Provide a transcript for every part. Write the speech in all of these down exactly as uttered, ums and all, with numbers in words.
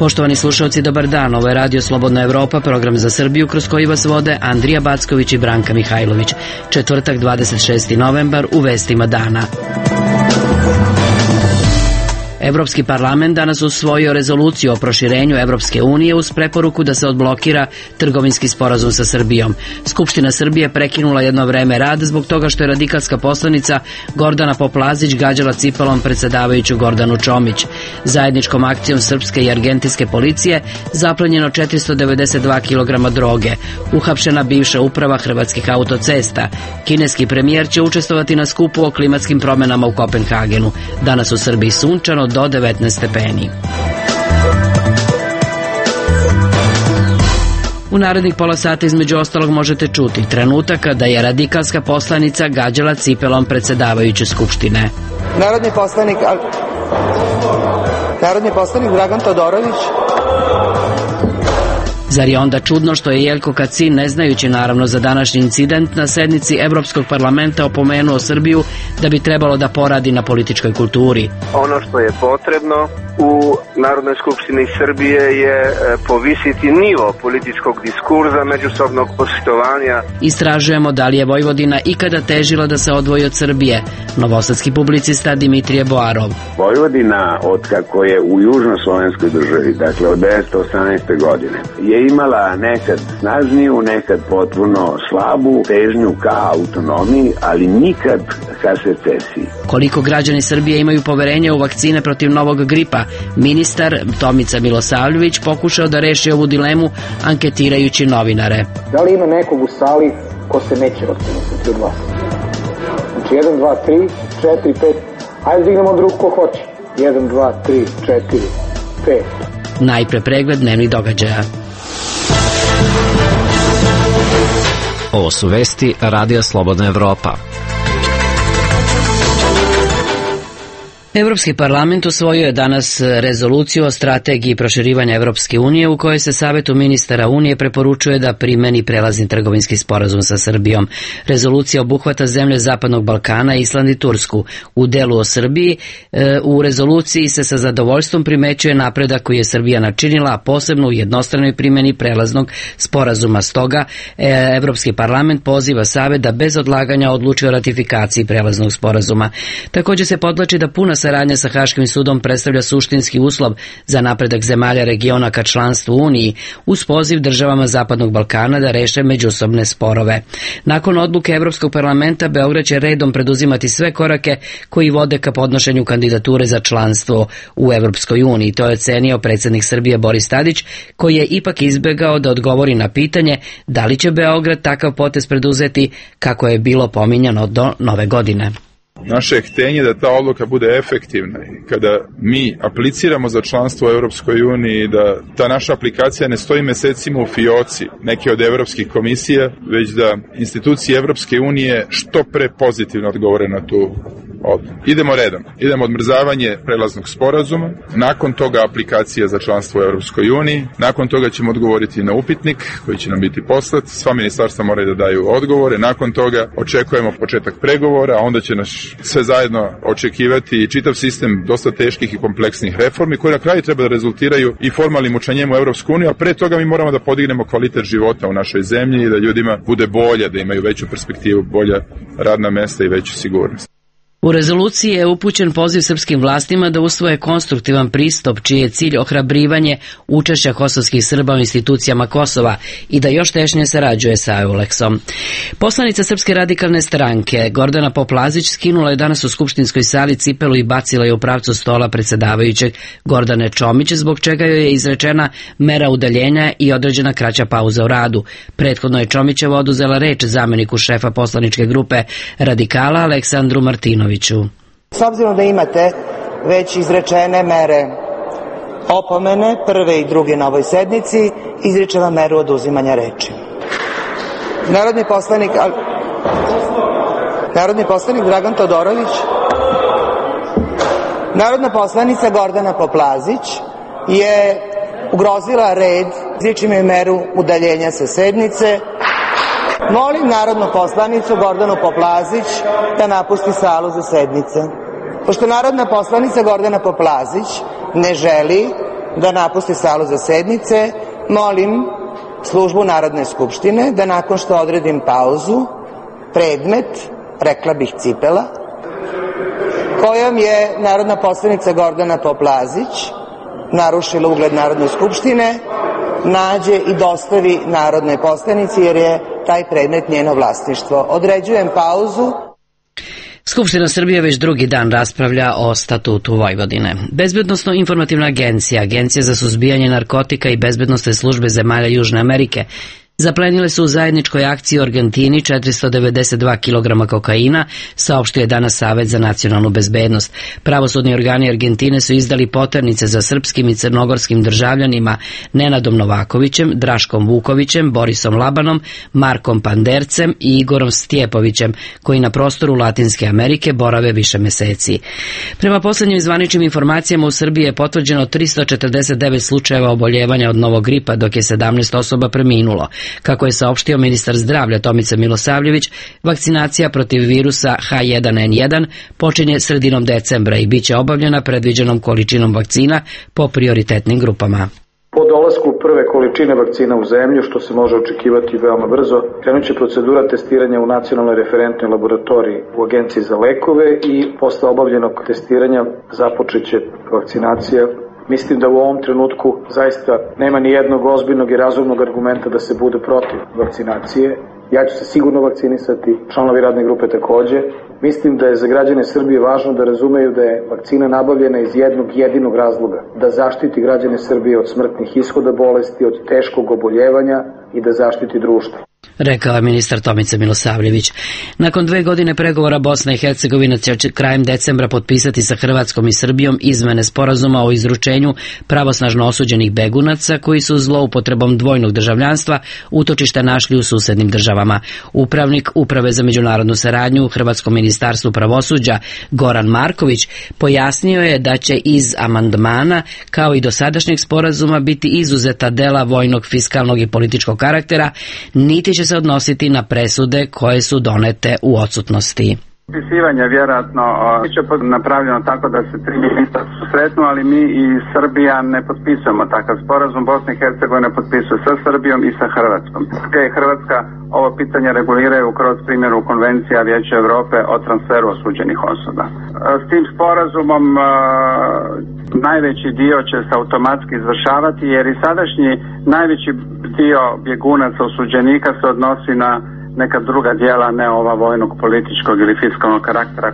Poštovani slušalci, dobar dan. Ovo je Radio Slobodna Evropa, program za Srbiju kroz koji vas vode Andrija Backović i Branka Mihajlović. Četvrtak, dvadeset šesti novembar, u vestima dana. Evropski parlament danas usvojio rezoluciju o proširenju Evropske unije uz preporuku da se odblokira trgovinski sporazum sa Srbijom. Skupština Srbije prekinula jedno vreme rad zbog toga što je radikalska poslanica Gordana Poplazić gađala cipelom predsedavajuću Gordanu Čomić. Zajedničkom akcijom srpske i argentinske policije zaplenjeno četiristo devedeset dva kilograma droge. Uhapšena bivša uprava Hrvatskih autocesta. Kineski premijer će učestvovati na skupu o klimatskim promenama u Kopenhagenu. Danas u Srbiji sunčano do devetnaest stepeni. U narednih pola sata između ostalog možete čuti trenutak kada je radikalska poslanica gađala cipelom predsedavajuće Skupštine. Narodni poslanik, narodni poslanik Dragan Todorović. Zar je onda čudno što je Jelko Kacin, ne znajući naravno za današnji incident, na sednici Evropskog parlamenta opomenuo Srbiju da bi trebalo da poradi na političkoj kulturi? Ono što je potrebno u Narodnoj skupštini Srbije je povisiti nivo političkog diskurza, međusobnog poštovanja. Istražujemo da li je Vojvodina ikada težila da se odvoji od Srbije. Novosadski publicista Dimitrije Boarov. Vojvodina, od kako je u južnoslovenskoj državi, dakle od devetsto osamnaeste. godine, je imala nekad snažniju, nekad potpuno slabu težnju ka autonomiji, ali nikad ka secesiji. Koliko građani Srbije imaju poverenja u vakcine protiv novog gripa? Ministar Tomica Milosavljević pokušao da reši ovu dilemu anketirajući novinare. Da li ima nekog u sali ko se neće vakcinisati od vas? Znači jedan, dva, tri, četiri, pet. Hajde dignemo od ruku ko hoće. jedan, dva, tri, četiri, pet. Najpre pregled dnevnih događaja. Ovo su vesti Radija Slobodna Evropa. Evropski parlament usvojio je danas rezoluciju o strategiji proširivanja Evropske unije u kojoj se Savetu ministara Unije preporučuje da primeni prelazni trgovinski sporazum sa Srbijom. Rezolucija obuhvata zemlje Zapadnog Balkana, Island i Tursku. U delu o Srbiji, u rezoluciji se sa zadovoljstvom primećuje napredak koji je Srbija načinila, a posebno u jednostranoj primjeni prelaznog sporazuma. Stoga, Evropski parlament poziva Savet da bez odlaganja odluči o ratifikaciji prelaznog sporazuma. Također se podvlači da puna saradnja sa Haškim sudom predstavlja suštinski uslov za napredak zemalja regiona ka članstvu Uniji, uz poziv državama Zapadnog Balkana da reše međusobne sporove. Nakon odluke Evropskog parlamenta, Beograd će redom preduzimati sve korake koji vode ka podnošenju kandidature za članstvo u Evropskoj uniji. To je ocenio predsjednik Srbije Boris Tadić, koji je ipak izbjegao da odgovori na pitanje da li će Beograd takav potez preduzeti kako je bilo pominjano do nove godine. Naše je htenje da ta odluka bude efektivna i kada mi apliciramo za članstvo u Evropskoj uniji, da ta naša aplikacija ne stoji mesecima u fioci neke od evropskih komisija, već da institucije Evropske unije što pre pozitivno odgovore na tu odluku. Idemo redom. Idemo odmrzavanje prelaznog sporazuma, nakon toga aplikacija za članstvo u Evropskoj uniji, nakon toga ćemo odgovoriti na upitnik koji će nam biti poslat, sva ministarstva moraju da daju odgovore, nakon toga očekujemo početak pregovora, a onda će nas sve zajedno očekivati čitav sistem dosta teških i kompleksnih reformi koji na kraju treba da rezultiraju i formalnim učlanjenjem u Evropsku uniju, a pre toga mi moramo da podignemo kvalitet života u našoj zemlji i da ljudima bude bolje, da imaju veću perspektivu, bolja radna mesta i veću sigurnost. U rezoluciji je upućen poziv srpskim vlastima da usvoje konstruktivan pristup čiji je cilj ohrabrivanje učešća kosovskih Srba u institucijama Kosova i da još tešnje sarađuje sa Euleksom. Poslanica Srpske radikalne stranke Gordana Poplazić skinula je danas u skupštinskoj sali cipelu i bacila je u pravcu stola predsedavajućeg Gordane Čomić, zbog čega joj je izrečena mera udaljenja i određena kraća pauza u radu. Prethodno je Čomićeva oduzela reč zameniku šefa poslaničke grupe Radikala Aleksandru Martinoviću. S obzirom da imate već izrečene mere opomene, prve i druge na ovoj sednici, izričem vam meru oduzimanja reči. Narodni poslanik, narodni poslanik Dragan Todorović, narodna poslanica Gordana Poplazić je ugrozila red, izričem joj meru udaljenja sa sednice. Molim narodnu poslanicu Gordanu Poplazić da napusti salu za sednice. Pošto narodna poslanica Gordana Poplazić ne želi da napusti salu za sednice, molim službu Narodne skupštine da nakon što odredim pauzu, predmet, rekla bih cipela, kojom je narodna poslanica Gordana Poplazić narušila ugled Narodne skupštine, nađe i dostavi narodnoj poslanici, jer je taj predmet njeno vlasništvo. Određujem pauzu. Skupština Srbije već drugi dan raspravlja o statutu Vojvodine. Bezbednosno-informativna agencija, Agencija za suzbijanje narkotika i bezbednosne službe zemalja Južne Amerike zaplenile su u zajedničkoj akciji u Argentini četiristo devedeset dva kilograma kokaina, saopštio je danas Savet za nacionalnu bezbednost. Pravosudni organi Argentine su izdali poternice za srpskim i crnogorskim državljanima Nenadom Novakovićem, Draškom Vukovićem, Borisom Labanom, Markom Pandercem i Igorom Stjepovićem, koji na prostoru Latinske Amerike borave više meseci. Prema poslednjim zvaničnim informacijama, u Srbiji je potvrđeno tristo četrdeset devet slučajeva oboljevanja od novog gripa, dok je sedamnaest osoba preminulo. Kako je saopštio ministar zdravlja Tomica Milosavljević, vakcinacija protiv virusa H jedan N jedan počinje sredinom decembra i bit će obavljena predviđenom količinom vakcina po prioritetnim grupama. Po dolasku prve količine vakcina u zemlju, što se može očekivati veoma brzo, krenut će procedura testiranja u nacionalnoj referentnoj laboratoriji u Agenciji za lekove i posle obavljenog testiranja započeće vakcinacija. Mislim da u ovom trenutku zaista nema ni jednog ozbiljnog i razumnog argumenta da se bude protiv vakcinacije. Ja ću se sigurno vakcinisati, članovi radne grupe takođe. Mislim da je za građane Srbije važno da razumeju da je vakcina nabavljena iz jednog jedinog razloga, da zaštiti građane Srbije od smrtnih ishoda bolesti, od teškog oboljevanja i da zaštiti društvo, rekao je ministar Tomica Milosavljević. Nakon dve godine pregovora, Bosna i Hercegovina će krajem decembra potpisati sa Hrvatskom i Srbijom izmene sporazuma o izručenju pravosnažno osuđenih begunaca koji su zloupotrebom dvojnog državljanstva utočište našli u susednim državama. Upravnik Uprave za međunarodnu saradnju u Hrvatskom ministarstvu pravosuđa Goran Marković pojasnio je da će iz amandmana, kao i dosadašnjeg sporazuma, biti izuzeta dela vojnog, fiskalnog i političkog karaktera, niti će se odnositi na presude koje su donete u odsutnosti. Potpisivanje vjerojatno biće napravljeno tako da se tri ministra susretnu, ali mi i Srbija ne potpisujemo takav sporazum. Bosna i Hercegovina potpisuje sa Srbijom i sa Hrvatskom. Hrvatska ovo pitanje reguliraju kroz primjenu Konvencija Vijeća Evrope o transferu osuđenih osoba. S tim sporazumom najveći dio će se automatski izvršavati, jer i sadašnji najveći dio bjegunaca osuđenika se odnosi na neka druga djela, ne ova vojnog, političkog ili fiskalnog karaktera.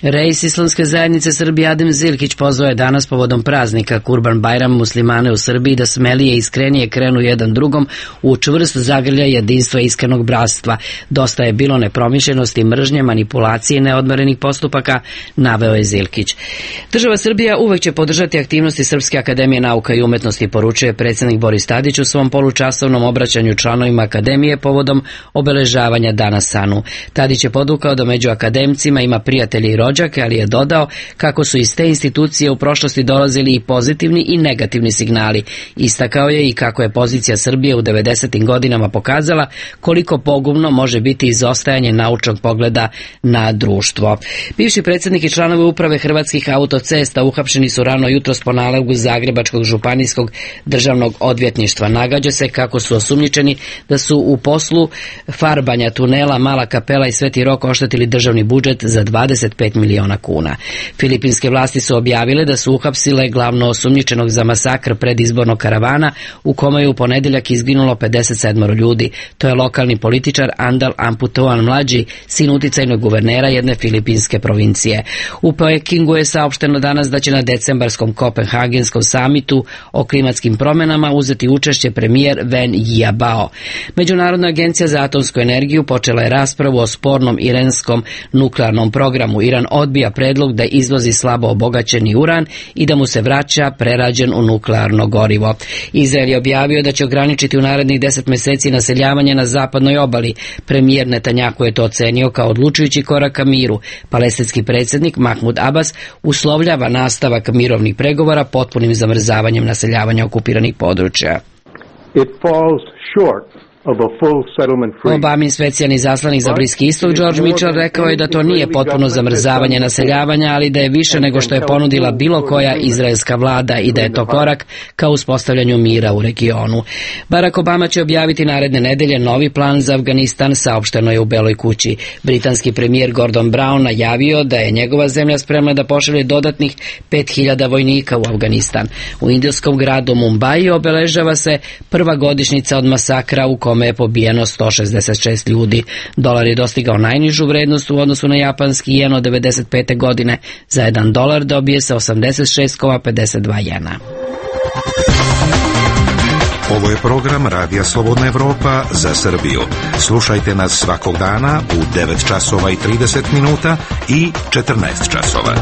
Reis Islamske zajednice Srbije Adem Zilkić pozvao je danas povodom praznika Kurban Bajram muslimane u Srbiji da smelije i iskrenije krenu jedan drugom u čvrst zagrljaj jedinstva i iskrenog bratstva. Dosta je bilo nepromišljenosti, mržnje, manipulacije i neodmerenih postupaka, naveo je Zilkić. Država Srbija uvek će podržati aktivnosti Srpske akademije nauka i umetnosti, poručuje predsjednik Boris Tadić u svom polučasovnom obraćanju članovima akademije povodom obeležavanja Dana Sanu. Tadić je podvukao da među akademcima ima prijatelji i rođake, ali je dodao kako su iz te institucije u prošlosti dolazili i pozitivni i negativni signali. Istakao je i kako je pozicija Srbije u devedesetim godinama pokazala koliko pogubno može biti izostajanje naučnog pogleda na društvo. Bivši predsjednik i članovi uprave Hrvatskih autocesta uhapšeni su rano jutros po nalogu Zagrebačkog županijskog državnog odvjetništva. Nagađa se kako su osumnjičeni da su u poslu farbanja tunela Mala Kapela i Sveti Rok oštetili državni budžet za dvadeset pet miliona kuna. Filipinske vlasti su objavile da su uhapsile glavno osumnjičenog za masakr predizbornog karavana u kome je u ponedeljak izginulo pedeset sedam ljudi. To je lokalni političar Andal Amputoan mlađi, sin uticajnog guvernera jedne filipinske provincije. U Pekingu je saopšteno danas da će na decembarskom kopenhagenskom samitu o klimatskim promjenama uzeti učešće premijer Wen Jiabao. Međunarodna agencija za atomsku energiju počela je raspravu o spornom iranskom nuklearnom programu. Iran odbija predlog da izvozi slabo obogaćeni uran i da mu se vraća prerađen u nuklearno gorivo. Izrael je objavio da će ograničiti u narednih deset meseci naseljavanje na zapadnoj obali. Premijer Netanjahu je to ocenio kao odlučujući korak ka miru. Palestinski predsjednik Mahmud Abbas uslovljava nastavak mirovnih pregovora potpunim zamrzavanjem naseljavanja okupiranih područja. It falls short Obamin specijalni zaslanik za Bliski istok George Mitchell rekao je da to nije potpuno zamrzavanje naseljavanja, ali da je više nego što je ponudila bilo koja izraelska vlada i da je to korak ka uspostavljanju mira u regionu. Barack Obama će objaviti naredne nedelje novi plan za Afganistan, saopšteno je u Beloj kući. Britanski premijer Gordon Brown najavio da je njegova zemlja spremna da pošalje dodatnih pet hiljada vojnika u Afganistan. U indijskom gradu Mumbai obeležava se prva godišnjica od masakra u kome je pobijeno sto šezdeset šest ljudi. Dolar je dostigao najnižu vrednost u odnosu na japanski jen od devedeset pete godine. Za jedan dolar dobije se osamdeset šest zarez pedeset dva jena. Ovo je program Radija Slobodna Evropa za Srbiju. Slušajte nas svakog dana u devet časova i trideset minuta i četrnaest časova.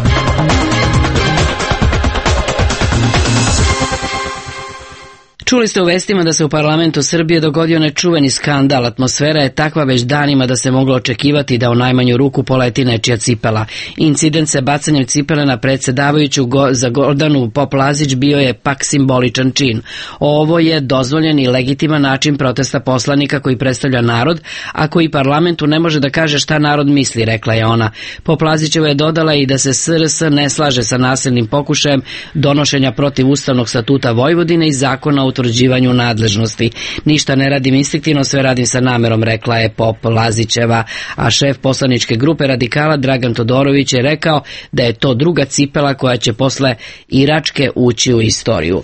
Čuli ste u vestima da se u parlamentu Srbije dogodio nečuveni skandal. Atmosfera je takva već danima da se moglo očekivati da u najmanju ruku poleti nečija cipela. Incident sa bacanjem cipele na predsjedavajuću go, za Gordanu Poplazić bio je pak simboličan čin. Ovo je dozvoljen i legitiman način protesta poslanika koji predstavlja narod, a koji parlamentu ne može da kaže šta narod misli, rekla je ona. Poplazićeva je dodala i da se S R S ne slaže sa nasilnim pokušajem donošenja protiv Ustavnog statuta Vojvodine i zakona o utvrđivanju nadležnosti. Ništa ne radim instinktivno, sve radim sa namerom, rekla je Poplazićeva, a šef poslaničke grupe radikala Dragan Todorović je rekao da je to druga cipela koja će posle Iračke ući u istoriju.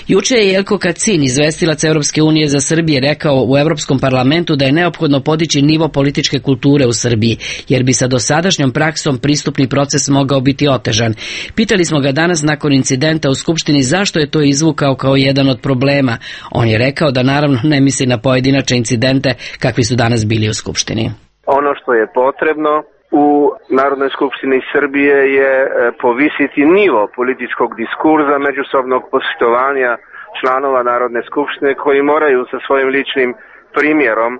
Juče je Jelko Kacin, izvestilac Europske unije za Srbije, rekao u Europskom parlamentu da je neophodno podići nivo političke kulture u Srbiji, jer bi sa dosadašnjom praksom pristupni proces mogao biti otežan. Pitali smo ga danas nakon incidenta u Skupštini zašto je to izvukao kao jedan od problema. On je rekao da naravno ne misli na pojedinačne incidente kakvi su danas bili u Skupštini. Ono što je potrebno u Narodnoj skupštini Srbije je povisiti nivo političkog diskurza, međusobnog poštovanja članova Narodne skupštine koji moraju sa svojim ličnim primjerom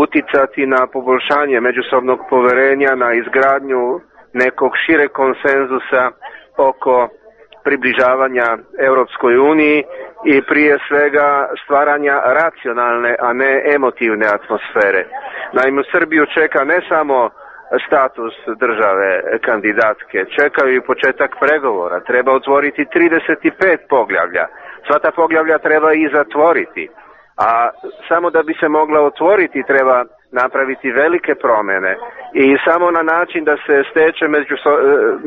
uticati na poboljšanje međusobnog poverenja, na izgradnju nekog šireg konsenzusa oko približavanja Europskoj uniji i prije svega stvaranja racionalne, a ne emotivne atmosfere. Naime, Srbiju čeka ne samo status države kandidatke, čekaju i početak pregovora. Treba otvoriti trideset pet poglavlja. Sva ta poglavlja treba i zatvoriti. A samo da bi se mogla otvoriti treba napraviti velike promjene i samo na način da se steče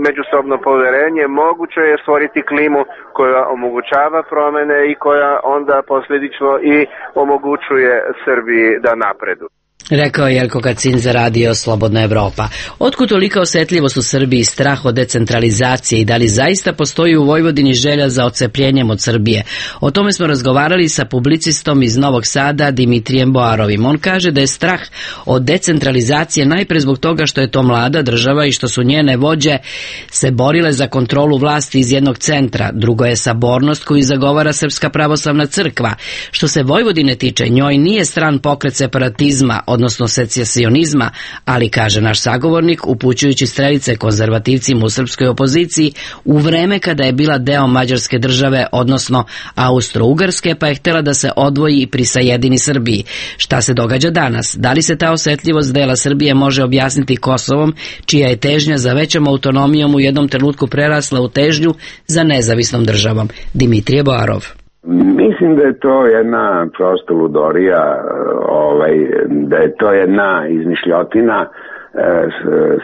međusobno poverenje moguće je stvoriti klimu koja omogućava promjene i koja onda posljedično i omogućuje Srbiji da napreduje. Rekao je Jelko Kacin za Radio Slobodna Evropa. Otkud tolika osjetljivost u Srbiji, strah od decentralizacije i da li zaista postoji u Vojvodini želja za odcepljenjem od Srbije? O tome smo razgovarali sa publicistom iz Novog Sada Dimitrijem Boarovim. On kaže da je strah od decentralizacije najpre zbog toga što je to mlada država i što su njene vođe se borile za kontrolu vlasti iz jednog centra. Drugo je sabornost koju zagovara Srpska pravoslavna crkva. Što se Vojvodine tiče, njoj nije stran pokret separatizma, odnosno secesionizma, ali, kaže naš sagovornik, upućujući strelice konzervativcima u srpskoj opoziciji u vreme kada je bila deo Mađarske države, odnosno Austro-Ugarske, pa je htjela da se odvoji i prisajedini Srbiji. Šta se događa danas? Da li se ta osjetljivost dela Srbije može objasniti Kosovom, čija je težnja za većom autonomijom u jednom trenutku prerasla u težnju za nezavisnom državom? Dimitrije Boarov. Mislim da je to jedna prosto ludorija, ovaj, da je to jedna izmišljotina e,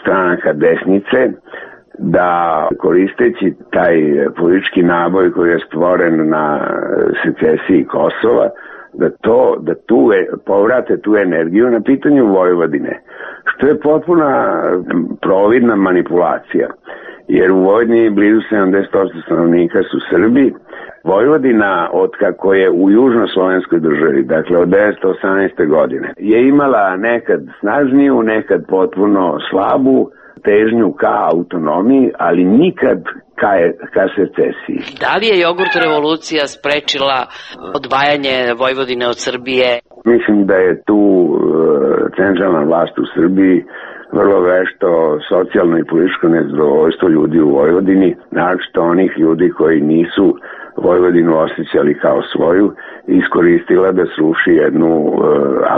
stranaka desnice, da koristeći taj politički naboj koji je stvoren na secesiji Kosova, da to, da tu povrate tu energiju na pitanju Vojvodine, što je potpuna providna manipulacija, jer u Vojvodini blizu sedamdeset posto stanovnika su Srbi. Vojvodina, otkako je u južnoslovenskoj državi, dakle od devetsto osamnaeste. godine, je imala nekad snažniju, nekad potpuno slabu težnju ka autonomiji, ali nikad ka, ka secesiji. Da li je jogurt revolucija sprečila odvajanje Vojvodine od Srbije? Mislim da je tu uh, centralna vlast u Srbiji vrlo vešto socijalno i političko nezadovoljstvo ljudi u Vojvodini, naročito onih ljudi koji nisu Vojvodinu osjećali kao svoju, iskoristila da sruši jednu e,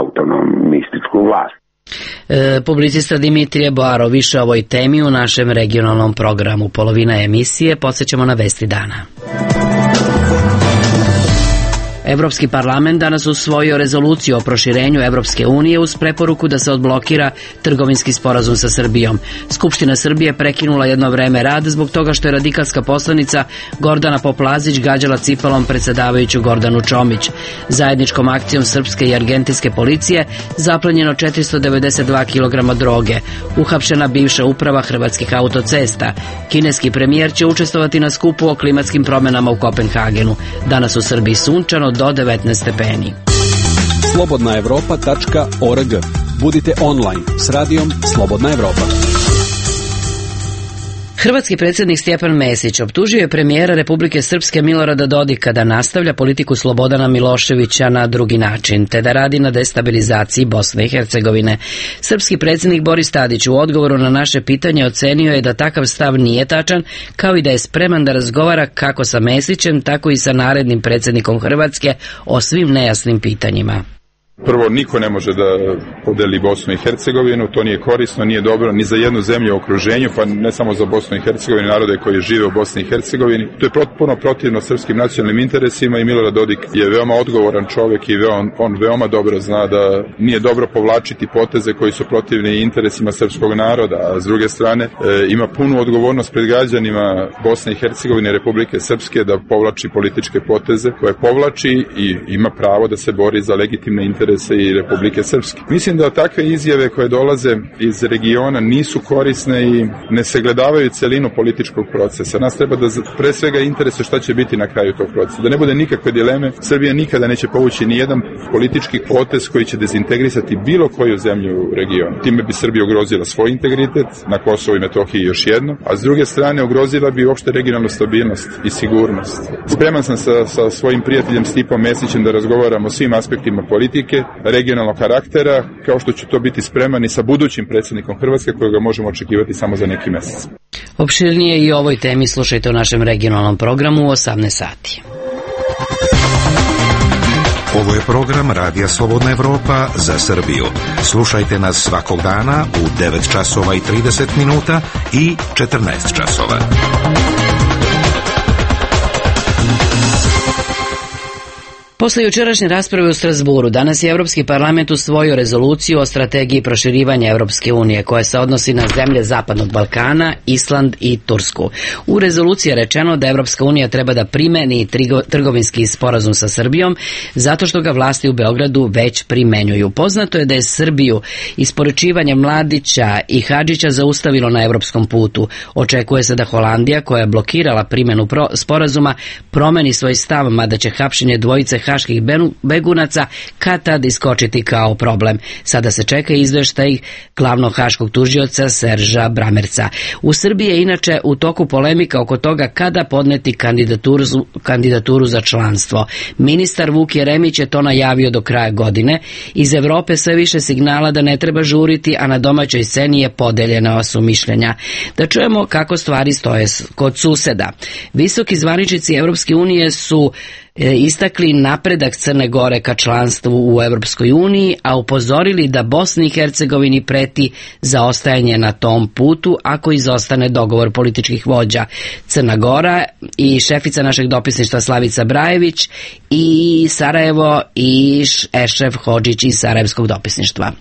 autonomističku vlast. E, publicista Dimitrije Boaro, više o ovoj temi u našem regionalnom programu. Polovina emisije, podsjećamo na vesti dana. Evropski parlament danas usvojio rezoluciju o proširenju Evropske unije uz preporuku da se odblokira trgovinski sporazum sa Srbijom. Skupština Srbije prekinula jedno vreme rad zbog toga što je radikalska poslanica Gordana Poplazić gađala cipelom predsedavajuću Gordanu Čomić. Zajedničkom akcijom srpske i argentinske policije zaplenjeno četiristo devedeset dva kilograma droge. Uhapšena bivša uprava Hrvatskih autocesta. Kineski premijer će učestvovati na skupu o klimatskim promenama u Kopenhagenu. Danas u Srbiji sunčano do devetnaest stepeni. slobodna evropa tačka org. Budite online s radijom Slobodna Evropa. Hrvatski predsjednik Stjepan Mesić optužio je premijera Republike Srpske Milorada Dodika da nastavlja politiku Slobodana Miloševića na drugi način, te da radi na destabilizaciji Bosne i Hercegovine. Srpski predsjednik Boris Tadić u odgovoru na naše pitanje ocenio je da takav stav nije tačan, kao i da je spreman da razgovara kako sa Mesićem, tako i sa narednim predsjednikom Hrvatske o svim nejasnim pitanjima. Prvo, niko ne može da podeli Bosnu i Hercegovinu, to nije korisno, nije dobro ni za jednu zemlju u okruženju, pa ne samo za Bosnu i Hercegovinu, narode koji žive u Bosni i Hercegovini. To je potpuno protivno srpskim nacionalnim interesima i Milorad Dodik je veoma odgovoran čovjek i on, on veoma dobro zna da nije dobro povlačiti poteze koji su protivni interesima srpskog naroda, a s druge strane e, ima punu odgovornost pred građanima Bosne i Hercegovine i Republike Srpske da povlači političke poteze koje povlači i ima pravo da se bori za legitimne interese i Republike Srpske. Mislim da takve izjave koje dolaze iz regiona nisu korisne i ne sagledavaju celinu političkog procesa. Nas treba da pre svega interesuje šta će biti na kraju tog procesa. Da ne bude nikakve dileme, Srbija nikada neće povući ni jedan politički potez koji će dezintegrisati bilo koju zemlju u regionu. Time bi Srbija ugrozila svoj integritet na Kosovu i Metohiji još jedno, a s druge strane ugrozila bi uopšte regionalnu stabilnost i sigurnost. Spreman sam sa, sa svojim prijateljem Stipom Mesićem da razgovaramo o svim aspektima politike, regionalnog karaktera, kao što ću to biti spreman i sa budućim predsjednikom Hrvatske kojega možemo očekivati samo za neki mjesec. Opširnije i o ovoj temi slušajte u našem regionalnom programu u osamnaest sati. Ovo je program Radija Slobodna Evropa za Srbiju. Slušajte nas svakog dana u devet časova i trideset minuta i četrnaest časova. Posle jučerašnje rasprave u Strasburu, danas je Evropski parlament usvojio rezoluciju o strategiji proširivanja Evropske unije koja se odnosi na zemlje Zapadnog Balkana, Island i Tursku. U rezoluciji je rečeno da Evropska unija treba da primeni trgovinski sporazum sa Srbijom zato što ga vlasti u Beogradu već primenjuju. Poznato je da je Srbiju isporučivanje Mladića i Hadžića zaustavilo na evropskom putu. Očekuje se da Holandija, koja je blokirala primjenu sporazuma, promeni svoj stav, mada će hapšenje dvojice haških begunaca kad tad iskočiti kao problem. Sada se čeka izveštaj glavnog haškog tužioca Serža Bramerca. U Srbiji je inače u toku polemika oko toga kada podneti kandidaturu, kandidaturu za članstvo. Ministar Vuk Jeremić je to najavio do kraja godine. Iz Evrope sve više signala da ne treba žuriti, a na domaćoj sceni je podeljena su mišljenja. Da čujemo kako stvari stoje kod suseda. Visoki zvaničnici Evropske unije su istakli napredak Crne Gore ka članstvu u Evropskoj uniji, a upozorili da Bosni i Hercegovini preti zaostajanje na tom putu ako izostane dogovor političkih vođa. Crna Gora i šefica našeg dopisništva Slavica Brajević i Sarajevo i Ešref Hodžić iz Sarajevskog dopisništva.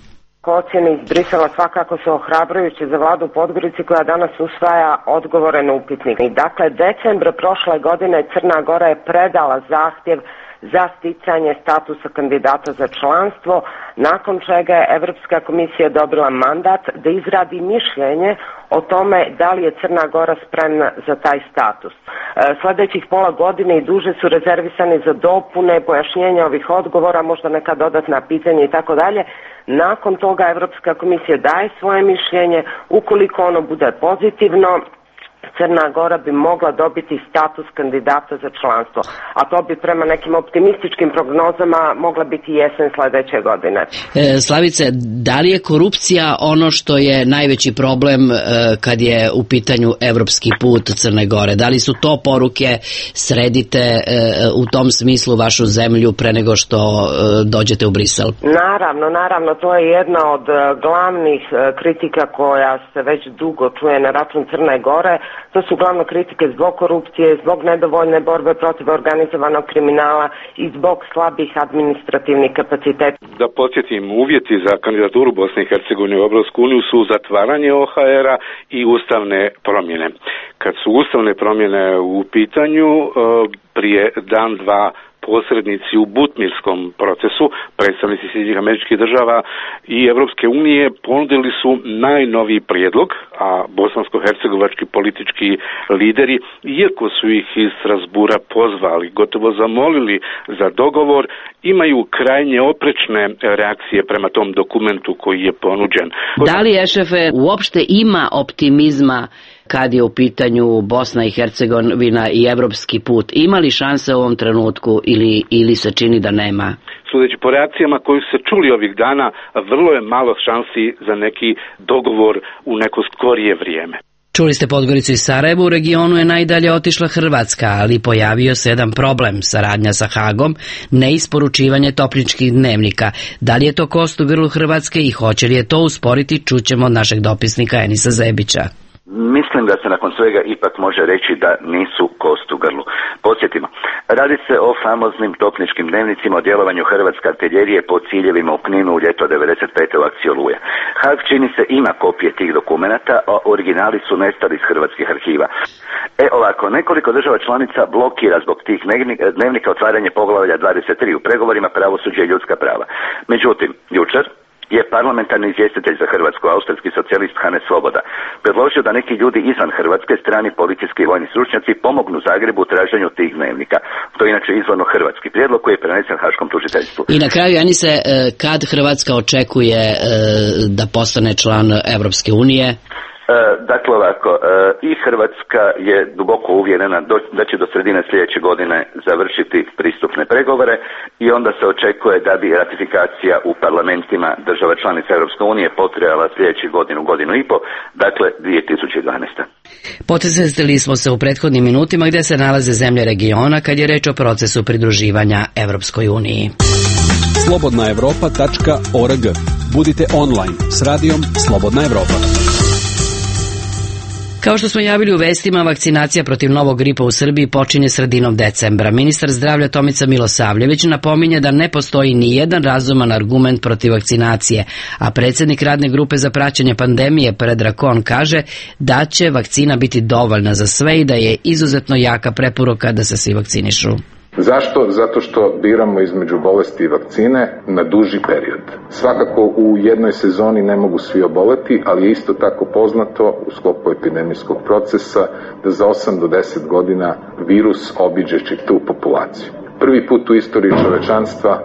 Ocjene iz Brisela svakako su ohrabrujuće za vladu u Podgorici koja danas usvaja odgovore na upitnik. Dakle, decembra prošle godine Crna Gora je predala zahtjev za sticanje statusa kandidata za članstvo, nakon čega je Evropska komisija dobila mandat da izradi mišljenje o tome da li je Crna Gora spremna za taj status. E, sljedećih pola godine i duže su rezervisani za dopune, pojašnjenja ovih odgovora, možda neka dodatna pitanja i tako dalje. Nakon toga Evropska komisija daje svoje mišljenje, ukoliko ono bude pozitivno, Crna Gora bi mogla dobiti status kandidata za članstvo, a to bi prema nekim optimističkim prognozama mogla biti jesen sledeće godine. E, Slavice, da li je korupcija ono što je najveći problem e, kad je u pitanju evropski put Crne Gore? Da li su to poruke, sredite e, u tom smislu vašu zemlju pre nego što e, dođete u Brisel? Naravno, naravno, to je jedna od glavnih kritika koja se već dugo čuje na račun Crne Gore. To su glavno kritike zbog korupcije, zbog nedovoljne borbe protiv organizovanog kriminala i zbog slabih administrativnih kapaciteta. Da podsjetim, uvjeti za kandidaturu Bosne i Hercegovine u Evropsku uniju su zatvaranje O H R-a i ustavne promjene. Kad su ustavne promjene u pitanju, prije dan, dva posrednici u butmirskom procesu, predstavnici Sjedinjenih Američkih Država i Evropske unije ponudili su najnoviji prijedlog, a bosansko-hercegovački politički lideri, iako su ih iz Strasbura pozvali, gotovo zamolili za dogovor, imaju krajnje oprečne reakcije prema tom dokumentu koji je ponuđen. Da li Ešefe uopšte ima optimizma kad je u pitanju Bosna i Hercegovina i evropski put? Ima li šanse u ovom trenutku ili, ili se čini da nema? Sudeći po reakcijama koji su se čuli ovih dana, vrlo je malo šansi za neki dogovor u neko skorije vrijeme. Čuli ste Podgoricu i Sarajevo, u regionu je najdalje otišla Hrvatska, ali pojavio se jedan problem, saradnja sa Hagom, neisporučivanje topničkih dnevnika. Da li je to kost u grlu Hrvatske i hoće li je to usporiti, čućemo od našeg dopisnika Enisa Zebića. Mislim da se nakon svega ipak može reći da nisu kost u grlu. Podsjetimo, radi se o famoznim topničkim dnevnicima o djelovanju hrvatske artiljerije po ciljevima u Kninu u ljeto devedeset pete u akciji Oluja. Hag čini se ima kopije tih dokumenata, a originali su nestali iz hrvatskih arhiva. E ovako, nekoliko država članica blokira zbog tih dnevnika otvaranje poglavlja dvadeset tri u pregovorima pravosuđe i ljudska prava. Međutim, jučer je parlamentarni izvjestitelj za Hrvatsku, austrijski socijalist Hannes Svoboda, predložio da neki ljudi izvan Hrvatske, strani policijski i vojni stručnjaci, pomognu Zagrebu u traženju tih dnevnika. To je inače izvorno hrvatski prijedlog koji je prenesen Haškom tužiteljstvu. I na kraju, Anise, kad Hrvatska očekuje da postane član Evropske unije? Dakle ovako, i Hrvatska je duboko uvjerena da će do sredine sljedeće godine završiti pristupne pregovore i onda se očekuje da bi ratifikacija u parlamentima država članica Europske unije potrajala sljedećih godinu, godinu i po, dakle dvije tisuće dvanaeste. Podsjetili smo se u prethodnim minutima gdje se nalaze zemlje regiona kad je reč o procesu pridruživanja Evropskoj uniji. slobodna evropa tačka org. Budite online s radijom Slobodna Evropa. Kao što smo javili u vestima, vakcinacija protiv novog gripa u Srbiji počinje sredinom decembra. Ministar zdravlja Tomica Milosavljević napominje da ne postoji ni jedan razuman argument protiv vakcinacije, a predsjednik radne grupe za praćenje pandemije Predrag Kon kaže da će vakcina biti dovoljna za sve i da je izuzetno jaka preporuka da se svi vakcinišu. Zašto? Zato što biramo između bolesti i vakcine na duži period. Svakako u jednoj sezoni ne mogu svi oboleti, ali je isto tako poznato u sklopu epidemijskog procesa da za osam do deset godina virus obiđe čitavu populaciju. Prvi put u istoriji čovečanstva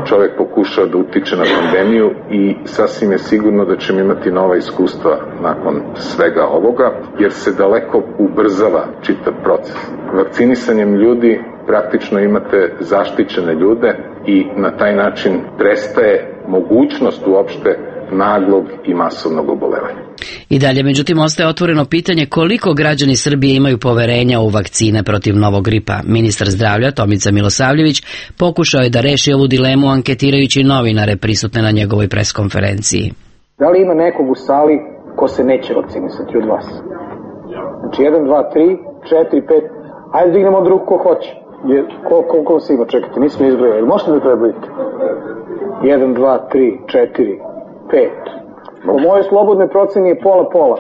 čovjek pokušao da utiče na pandemiju i sasvim je sigurno da ćemo imati nova iskustva nakon svega ovoga, jer se daleko ubrzava čitav proces. Vakcinisanjem ljudi praktično imate zaštićene ljude i na taj način prestaje mogućnost uopšte naglog i masovnog obolevanja. I dalje, međutim, ostaje otvoreno pitanje koliko građani Srbije imaju poverenja u vakcine protiv novog gripa. Ministar zdravlja Tomica Milosavljević pokušao je da reši ovu dilemu anketirajući novinare prisutne na njegovoj preskonferenciji. Da li ima nekog u sali ko se neće vakcinisati od vas? Znači jedan, dva, tri, četiri, pet, ajde dignemo od ruku ko hoće. Je, koliko, koliko se ima, čekajte, nismo izbrojali, možete da prebrojite? jedan, dva, tri, četiri, pet. Po mojoj slobodnoj proceni je pola-pola.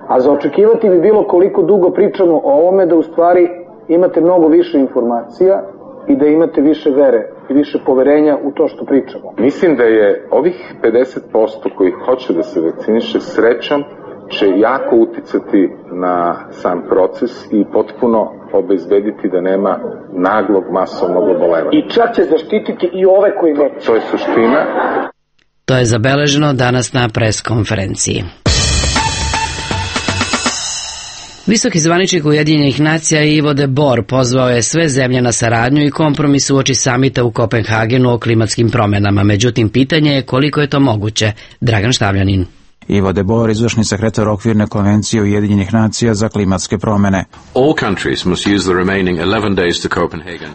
A za očekivati bi bilo koliko dugo pričamo o ovome da u stvari imate mnogo više informacija i da imate više vere i više poverenja u to što pričamo. Mislim da je ovih pedeset posto koji hoće da se vakciniše srećom će jako uticati na sam proces i potpuno obezbediti da nema naglog masovnog obolevanja. I čak će zaštititi i ove koji neće. To je suština. To je zabeleženo danas na preskonferenciji. Visoki zvaničnik Ujedinjenih nacija Ivo de Boer pozvao je sve zemlje na saradnju i kompromis uoči samita u Kopenhagenu o klimatskim promjenama. Međutim, pitanje je koliko je to moguće. Dragan Štavljanin. Ivo de Boer, izvršni sekretar okvirne konvencije Ujedinjenih nacija za klimatske promjene.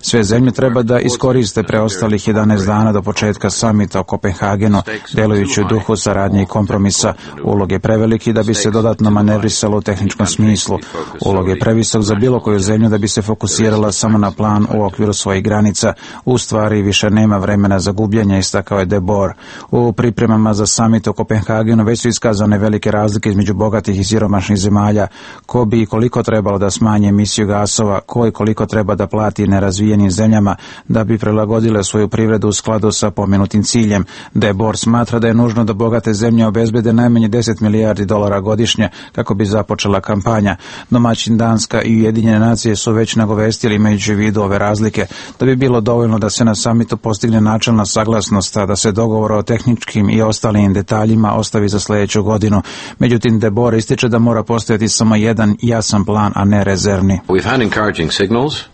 Sve zemlje treba da iskoriste preostalih jedanaest dana do početka samita o Kopenhagenu, delujući u duhu saradnje i kompromisa. Ulog je preveliki da bi se dodatno manevrisalo u tehničkom smislu. Ulog je previsok za bilo koju zemlju da bi se fokusirala samo na plan u okviru svojih granica. U stvari više nema vremena za gubljenje, istakao je de Boer. U pripremama za samit o Kopenhagenu već su iskazane velike razlike između bogatih i siromašnih zemalja, ko bi i koliko trebalo da smanje emisiju gasova, ko i koliko treba da plati nerazvijenim zemljama da bi prilagodile svoju privredu u skladu sa pomenutim ciljem. De Boer smatra da je nužno da bogate zemlje obezbede najmanje deset milijardi dolara godišnje kako bi započela kampanja. Domaćin Danska i Ujedinjene nacije su već nagovestili, imajući u vidu ove razlike, da bi bilo dovoljno da se na samitu postigne načelna saglasnost, a da se dogovor o tehničkim i ostalim detaljima ostavi za sljedeću godinu. Međutim, de Boer ističe da mora postojati samo jedan jasan plan, a ne rezervni.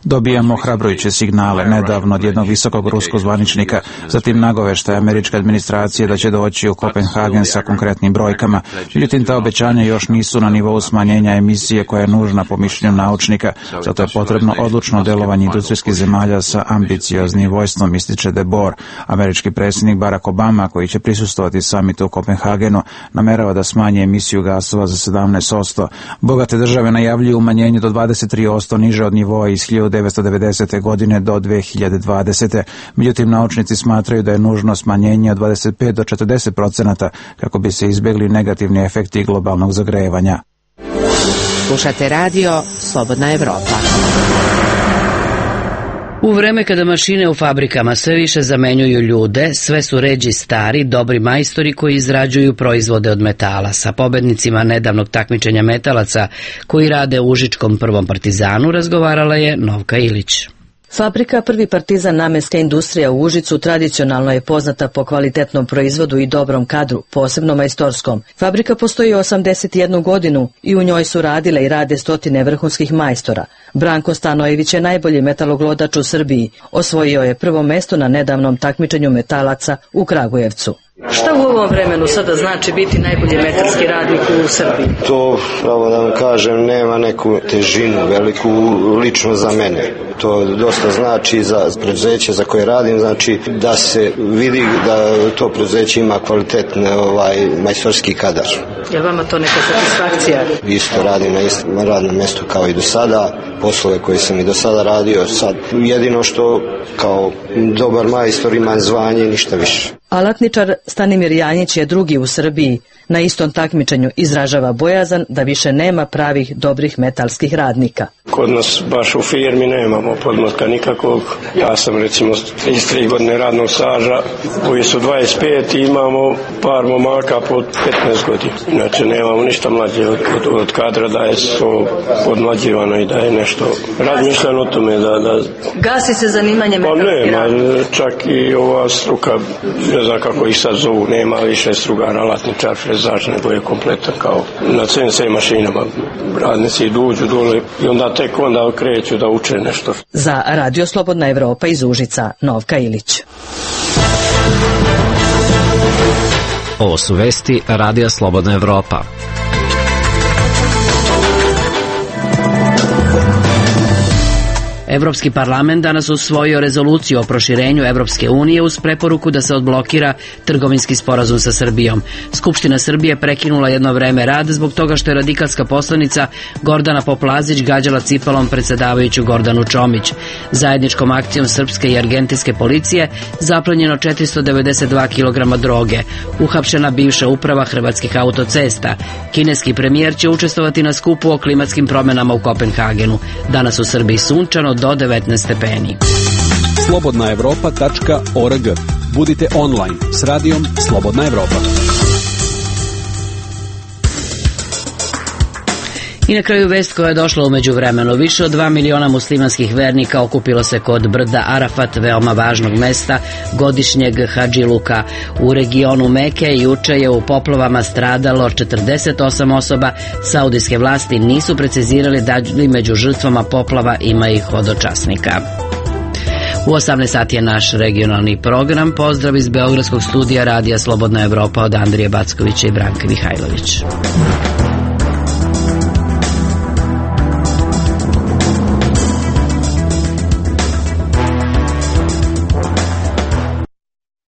Dobijamo ohrabrujuće signale nedavno od jednog visokog ruskog zvaničnika, zatim nagoveštaje američke administracije da će doći u Kopenhagen sa konkretnim brojkama. Međutim, ta obećanja još nisu na nivou smanjenja emisije koja je nužna po mišljenju naučnika, zato je potrebno odlučno delovanje industrijskih zemalja sa ambicioznim vojstvom, ističe de Boer. Američki predsjednik Barack Obama, koji će prisustvovati samitu u Kopenhagenu, namerava da smanje emisiju gasova za sedamnaest posto. Bogate države najavljuju umanjenje do dvadeset tri posto niže od nivoa iz hiljadu devetsto devedesete. godine do dve hiljade dvadesete. Međutim, naučnici smatraju da je nužno smanjenje od dvadeset pet do četrdeset procenata kako bi se izbjegli negativni efekti globalnog zagrevanja. Slušate radio Slobodna Evropa. U vreme kada mašine u fabrikama sve više zamenjuju ljude, sve su ređi stari, dobri majstori koji izrađuju proizvode od metala. Sa pobednicima nedavnog takmičenja metalaca koji rade u Užičkom prvom partizanu razgovarala je Novka Ilić. Fabrika Prvi partizan namenska industrija u Užicu tradicionalno je poznata po kvalitetnom proizvodu i dobrom kadru, posebno majstorskom. Fabrika postoji osamdeset jednu godinu i u njoj su radile i rade stotine vrhunskih majstora. Branko Stanojević je najbolji metaloglodač u Srbiji. Osvojio je prvo mesto na nedavnom takmičenju metalaca u Kragujevcu. Šta u ovom vremenu sada znači biti najbolji metalski radnik u Srbiji? To, pravo da vam kažem, nema neku težinu veliku lično za mene. To dosta znači za preduzeće za koje radim, znači da se vidi da to preduzeće ima kvalitetne ovaj, majstorski kadar. Je li vama to neka satisfakcija? Isto radim na istom radnom mjestu kao i do sada, poslove koje sam i do sada radio. Sad jedino što kao dobar majstor imam zvanje, ništa više. Alatničar Stanimir Janjić je drugi u Srbiji. Na istom takmičenju izražava bojazan da više nema pravih dobrih metalskih radnika. Kod nas baš u firmi nemamo podmlatka nikakvog. Ja sam recimo trideset tri godine radnog staža, koji su dvadeset pet i imamo par momaka po petnaest godina. Znači nemamo ništa mlađe od, od, od kadra da je to podmlađivano i da je nešto razmišljano o tome da... da... Gasi se zanimanje metalskih pa radnika? nema, čak i ova struka, ne znam kako ih sad zovu, nema više strugara, alatničar, frezaž, nego je kompletan kao na C N C mašinama. Radnici dođu dole i onda tek onda kreću da uče nešto. Za Radio Slobodna Evropa iz Užica, Novka Ilić. Ovo su vesti Radija Slobodna Evropa. Evropski parlament danas usvojio rezoluciju o proširenju Evropske unije uz preporuku da se odblokira trgovinski sporazum sa Srbijom. Skupština Srbije prekinula jedno vreme rad zbog toga što je radikalska poslanica Gordana Poplazić gađala cipelom predsjedavajuću Gordanu Čomić. Zajedničkom akcijom srpske i argentinske policije zaplenjeno četiristo devedeset dva kilograma droge. Uhapšena bivša uprava Hrvatskih autocesta. Kineski premijer će učestvovati na skupu o klimatskim promjenama u Kopenhagenu. Danas u Srbiji sunčano do devetnaest stepeni. slobodna evropa tačka org. Budite online s radijom Slobodna Evropa. I na kraju vest koja je došla u međuvremenu. Više od dva miliona muslimanskih vernika okupilo se kod brda Arafat, veoma važnog mesta godišnjeg hadžiluka u regionu Meke. Juče je u poplavama stradalo četrdeset osam osoba. Saudijske vlasti nisu precizirali da li među žrtvama poplava ima i hodočasnika. U osamnaest sati je naš regionalni program. Pozdrav iz Beogradskog studija Radija Slobodna Evropa od Andrije Backovića i Branka Mihajlović.